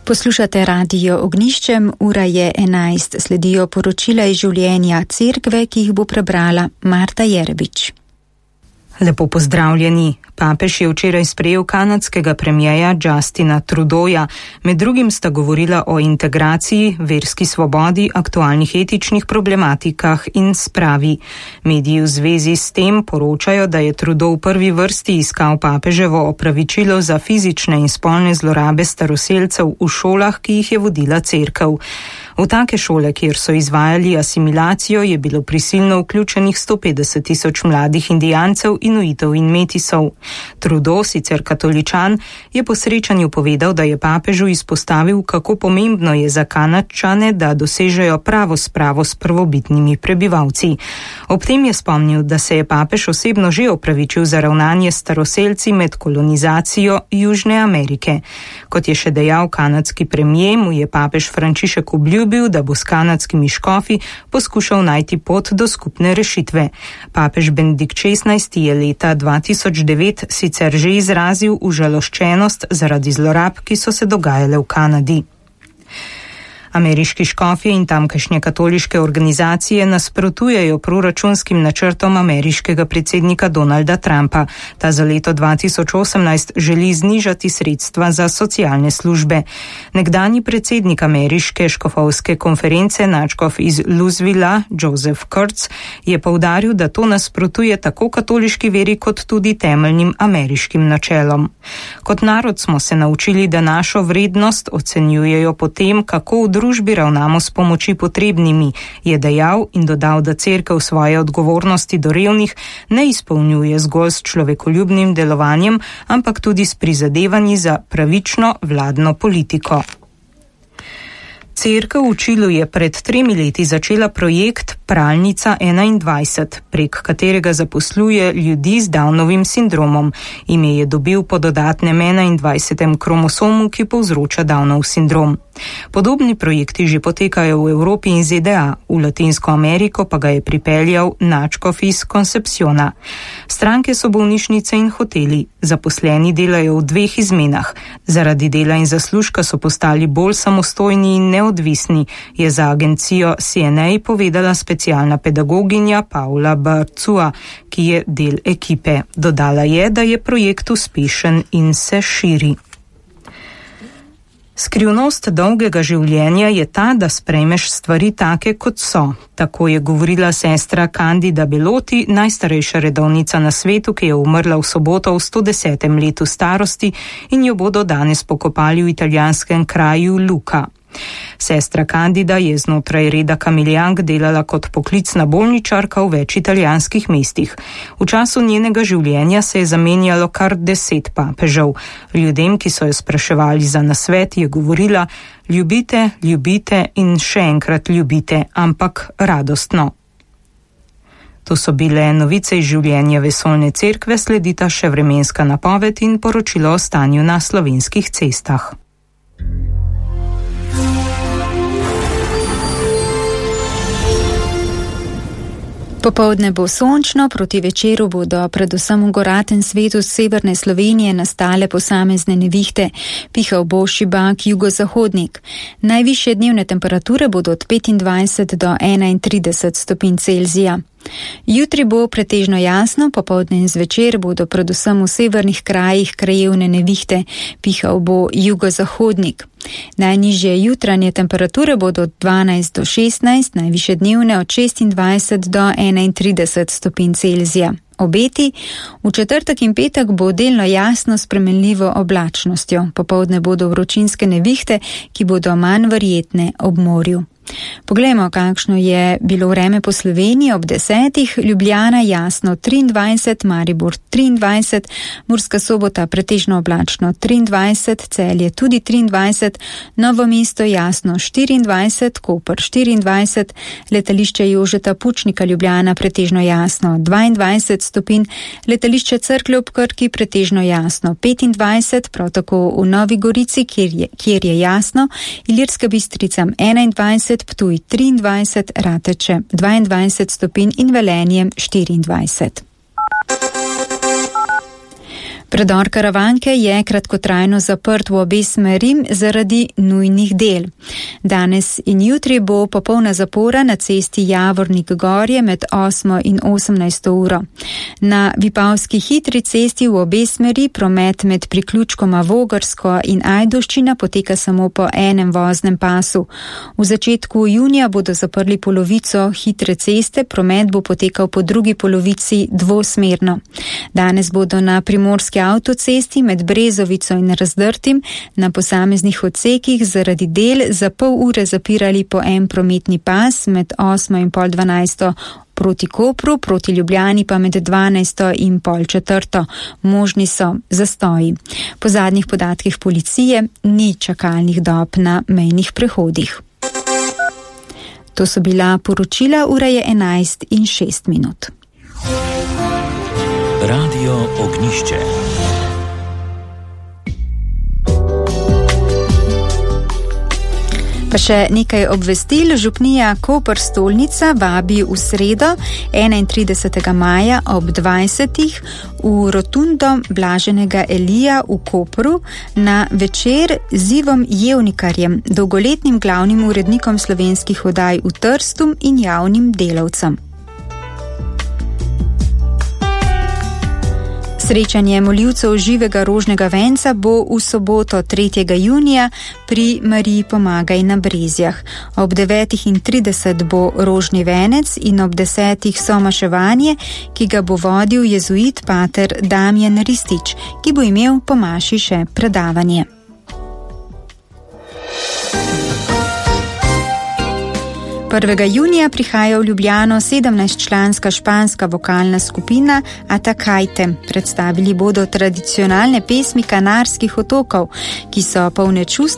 Poslušate Radio Ognjiščem, ura je 11, sledijo poročila iz življenja cerkve, ki jih bo prebrala Marta Jerebič. Lepo pozdravljeni. Papež je včeraj sprejel kanadskega premierja Justina Trudeauja. Med drugim sta govorila o integraciji, verski svobodi, aktualnih etičnih problematikah in spravi. Mediji v zvezi s tem poročajo, da je Trudeau v prvi vrsti iskal papeževo opravičilo za fizične in spolne zlorabe staroselcev v šolah, ki jih je vodila cerkev. V take šole, kjer so izvajali asimilacijo, je bilo prisilno vključenih 150,000 mladih indijancev, inuitov in metisov. Trudeau, sicer katoličan, je po srečanju povedal, da je papežu izpostavil, kako pomembno je za Kanadčane, da dosežejo pravo spravo s prvobitnimi prebivalci. Ob tem je spomnil, da se je papež osebno že opravičil za ravnanje s staroselci med kolonizacijo Južne Amerike. Kot je še dejal kanadski premier, mu je papež Frančišek obljubil, da bo s kanadskimi škofi poskušal najti pot do skupne rešitve. Papež Benedikt XVI je leta 2009 sicer že izrazil užaloščenost zaradi zlorab, ki so se dogajale v Kanadi. Ameriški škofje in tamkajšnje katoliške organizacije nasprotujejo proračunskim načrtom ameriškega predsednika Donalda Trumpa. Ta za leto 2018 želi znižati sredstva za socialne službe. Nekdanji predsednik ameriške škofovske konference, nadškof iz Louisvilla, Joseph Kurtz, je poudaril, da to nasprotuje tako katoliški veri kot tudi temeljnim ameriškim načelom. Kot narod smo se naučili, da našo vrednost ocenjujejo po tem, kako v družbi ravnamo s pomoči potrebnimi, je dejal in dodal, da cerkev svoje odgovornosti do revnih ne izpolnjuje zgolj s človekoljubnim delovanjem, ampak tudi s prizadevanji za pravično vladno politiko. Cerkev v Čilu je pred 3 leti začela projekt Pralnica 21, prek katerega zaposluje ljudi z Downovim sindromom. Ime je dobil po dodatnem 21. kromosomu, ki povzroča Downov sindrom. Podobni projekti že potekajo v Evropi in ZDA, v Latinsko Ameriko pa ga je pripeljal nadškof iz Concepciona. Stranke so bolnišnice in hoteli, zaposleni delajo v 2 izmenah. Zaradi dela in zaslužka so postali bolj samostojni in neodvisni, je za agencijo CNA povedala specialna pedagoginja Paula Barcua, ki je del ekipe. Dodala je, da je projekt uspešen in se širi. Skrivnost dolgega življenja je ta, da sprejmeš stvari take, kot so. Tako je govorila sestra Candida Beloti, najstarejša redovnica na svetu, ki je umrla v soboto v 110. letu starosti in jo bodo danes pokopali v italijanskem kraju Luka. Sestra Candida je znotraj reda Kamiljank delala kot poklicna bolničarka v več italijanskih mestih. V času njenega življenja se je zamenjalo kar 10 papežev. Ljudem, ki so jo spraševali za nasvet, je govorila: ljubite, ljubite in še enkrat ljubite, ampak radostno. To so bile novice iz življenja vesoljne cerkve, sledita še vremenska napoved in poročilo o stanju na slovenskih cestah. Popoldne bo sončno, proti večeru bodo predvsem v goratem svetu severne Slovenije nastale posamezne nevihte, pihal bo šibak jugozahodnik. Najvišje dnevne temperature bodo od 25 do 31 stopinj Celzija. Jutri bo pretežno jasno, popoldne in zvečer bodo predvsem v severnih krajih krajevne nevihte, pihal bo jugozahodnik. Najnižje jutranje temperature bodo od 12 do 16, najvišje dnevne od 26 do 31 stopinj Celzija. Obeti: v četrtek in petek bo delno jasno s spremenljivo oblačnostjo. Popoldne bodo vročinske nevihte, ki bodo manj verjetne ob morju. Poglejmo, kakšno je bilo vreme po Sloveniji ob 10. Ljubljana jasno 23, Maribor 23, Murska Sobota pretežno oblačno 23, Celje tudi 23, Novo mesto jasno 24, Koper 24, letališče Jožeta Pučnika Ljubljana pretežno jasno 22 stopinj, letališče Cerklje ob Krki pretežno jasno 25, prav tako v Novi Gorici, kjer je jasno, Ilirska Bistrica 21, Ptuj 23, Rateče 22 stopinj in Velenje 24. Predor Karavanke je kratkotrajno zaprt v obe smeri zaradi nujnih del. Danes in jutri bo popolna zapora na cesti Javornik Gorje med 8 in 18 uro. Na Vipavski hitri cesti v obe smeri promet med priključkoma Vogrsko in Ajdovščina poteka samo po enem voznem pasu. V začetku junija bodo zaprli polovico hitre ceste, promet bo potekal po drugi polovici dvosmerno. Danes bodo na primorski avtocesti med Brezovico in Razdrtim na posameznih odsekih zaradi del za pol ure zapirali po en prometni pas med 8 in pol 12 proti Kopru, proti Ljubljani pa med 12 in pol 4. Možni so zastoji. Po zadnjih podatkih policije ni čakalnih dob na mejnih prehodih. To so bila poročila, ura je 11 in 6 minut. Radio Ognjišče. Pa še nekaj obvestil. Župnija Koper Stolnica vabi v sredo 31. maja ob 20. v rotundo Blaženega Elija v Kopru na večer z Ivom Jevnikarjem, dolgoletnim glavnim urednikom slovenskih oddaj v Trstu in javnim delavcem. Srečanje moljivcev živega rožnega venca bo v soboto 3. junija pri Mariji Pomagaj na Brezjah. Ob 9:30 bo rožni venec in ob 10. somaševanje, ki ga bo vodil jezuit pater Damjan Ristič, ki bo imel po maši še predavanje. Junija prihaja v Ljubljano 17-članska španska vokalna skupina Atacajte. Predstavili bodo tradicionalne pesmi Kanarskih otokov, ki so polne čustev